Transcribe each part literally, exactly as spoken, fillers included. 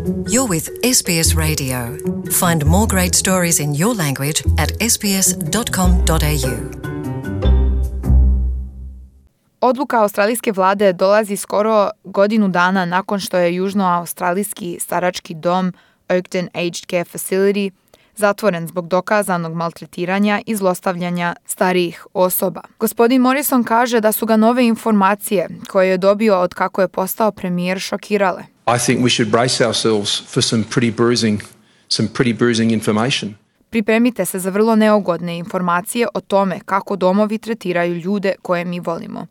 You're with S B S Radio. Find more great stories in your language at s b s dot com dot a u. Odluka australijske vlade dolazi skoro godinu dana nakon što je južnoaustralijski starački dom Oakden Aged Care Facility zatvoren zbog dokazanog maltretiranja i zlostavljanja starijih osoba. Gospodin Morrison kaže da su ga nove informacije koje je dobio od kako je postao premijer šokirale. I think we should brace ourselves for some pretty bruising, some pretty bruising information. Pripremite se za vrlo neugodne informacije o tome kako domovi tretiraju ljude koje mi volimo.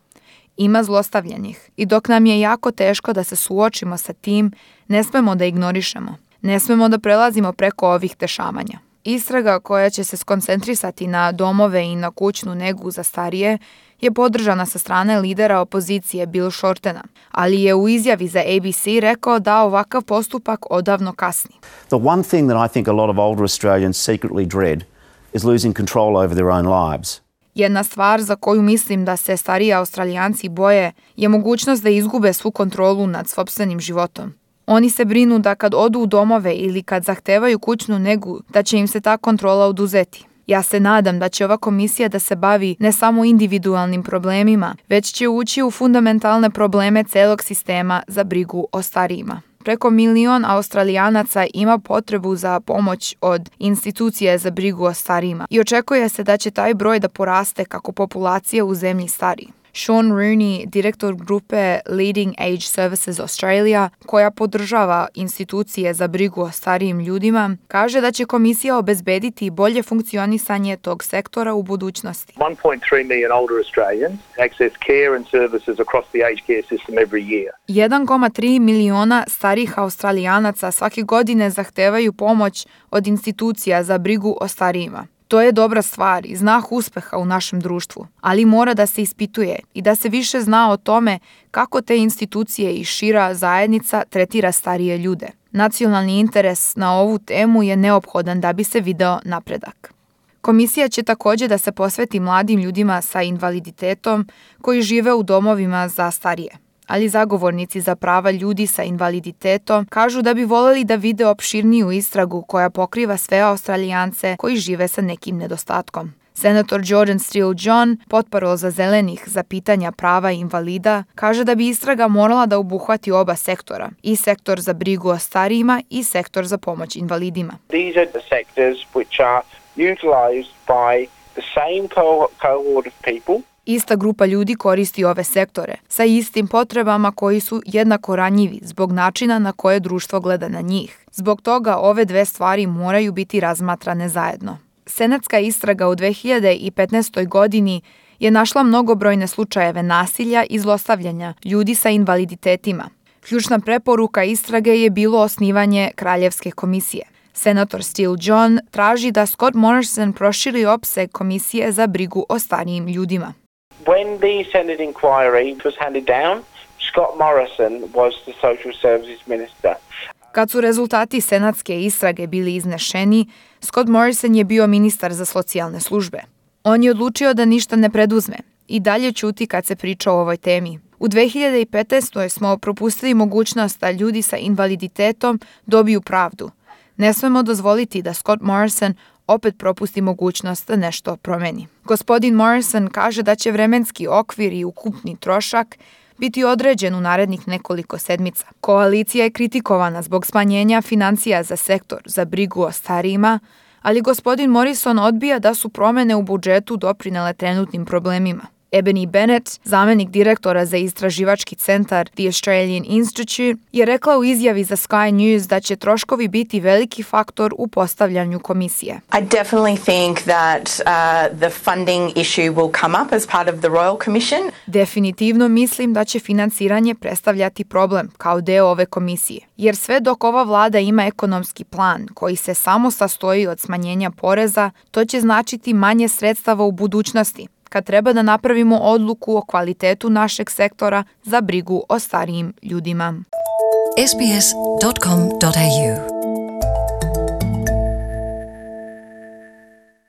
Ima zlostavljenih i dok nam je jako teško da se suočimo sa tim, ne smemo da ignorišemo. Ne smemo da prelazimo preko ovih dešavanja. Istraga koja će se skoncentrisati na domove i na kućnu negu za starije je podržana sa strane lidera opozicije Bill Shortena, ali je u izjavi za A B C rekao da ovakav postupak odavno kasni. The one thing that I think a lot of older Australians secretly dread is losing control over their own lives. Jedna stvar za koju mislim da se stariji Australijanci boje je mogućnost da izgube svu kontrolu nad sopstvenim životom. Oni se brinu da kad odu u domove ili kad zahtevaju kućnu negu, da će im se ta kontrola oduzeti. Ja se nadam da će ova komisija da se bavi ne samo individualnim problemima, već će ući u fundamentalne probleme celog sistema za brigu o starijima. Preko milion Australijanaca ima potrebu za pomoć od institucije za brigu o starijima i očekuje se da će taj broj da poraste kako populacija u zemlji stari. Sean Rooney, direktor grupe Leading Age Services Australia, koja podržava institucije za brigu o starijim ljudima, kaže da će komisija obezbediti bolje funkcionisanje tog sektora u budućnosti. one point three million older Australians access care and services across the aged care system every year. jedan zarez tri miliona starih Australijanaca svake godine zahtevaju pomoć od institucija za brigu o starijima. To je dobra stvar i znak uspeha u našem društvu, ali mora da se ispituje i da se više zna o tome kako te institucije i šira zajednica tretira starije ljude. Nacionalni interes na ovu temu je neophodan da bi se video napredak. Komisija će također da se posveti mladim ljudima sa invaliditetom koji žive u domovima za starije. Ali zagovornici za prava ljudi sa invaliditetom kažu da bi voljeli da vide opširniju istragu koja pokriva sve Australijance koji žive sa nekim nedostatkom. Senator Jordan Steele John, potparol za zelenih za pitanja prava invalida, kaže da bi istraga morala da obuhvati oba sektora, i sektor za brigu o starijima i sektor za pomoć invalidima. These are the sectors which are utilized by the same cohort of people. Ista grupa ljudi koristi ove sektore, sa istim potrebama koji su jednako ranjivi zbog načina na koje društvo gleda na njih. Zbog toga ove dve stvari moraju biti razmatrane zajedno. Senatska istraga u dve hiljade petnaestoj. godini je našla mnogobrojne slučajeve nasilja i zlostavljanja ljudi sa invaliditetima. Ključna preporuka istrage je bilo osnivanje Kraljevske komisije. Senator Steele John traži da Scott Morrison proširi opseg komisije za brigu o starijim ljudima. When the Senate inquiry was handed down, Scott Morrison was the Social Services Minister. Kad su rezultati senatske istrage bili iznešeni, Scott Morrison je bio ministar za socijalne službe. On je odlučio da ništa ne preduzme i dalje ćuti kad se priča o ovoj temi. U dve hiljade petnaestoj. smo propustili mogućnost da ljudi sa invaliditetom dobiju pravdu. Ne smemo dozvoliti da Scott Morrison opet propusti mogućnost da nešto promeni. Gospodin Morrison kaže da će vremenski okvir i ukupni trošak biti određen u narednih nekoliko sedmica. Koalicija je kritikovana zbog smanjenja financija za sektor za brigu o starijima, ali gospodin Morrison odbija da su promene u budžetu doprinele trenutnim problemima. Ebony Bennett, zamenik direktora za istraživački centar The Australian Institute, je rekla u izjavi za Sky News da će troškovi biti veliki faktor u postavljanju komisije. I definitely think that uh, the funding issue will come up as part of the Royal Commission. Definitivno mislim da će finansiranje predstavljati problem kao deo ove komisije, jer sve dok ova vlada ima ekonomski plan koji se samo sastoji od smanjenja poreza, to će značiti manje sredstava u budućnosti, kad treba da napravimo odluku o kvalitetu našeg sektora za brigu o starijim ljudima. s b s dot com dot a u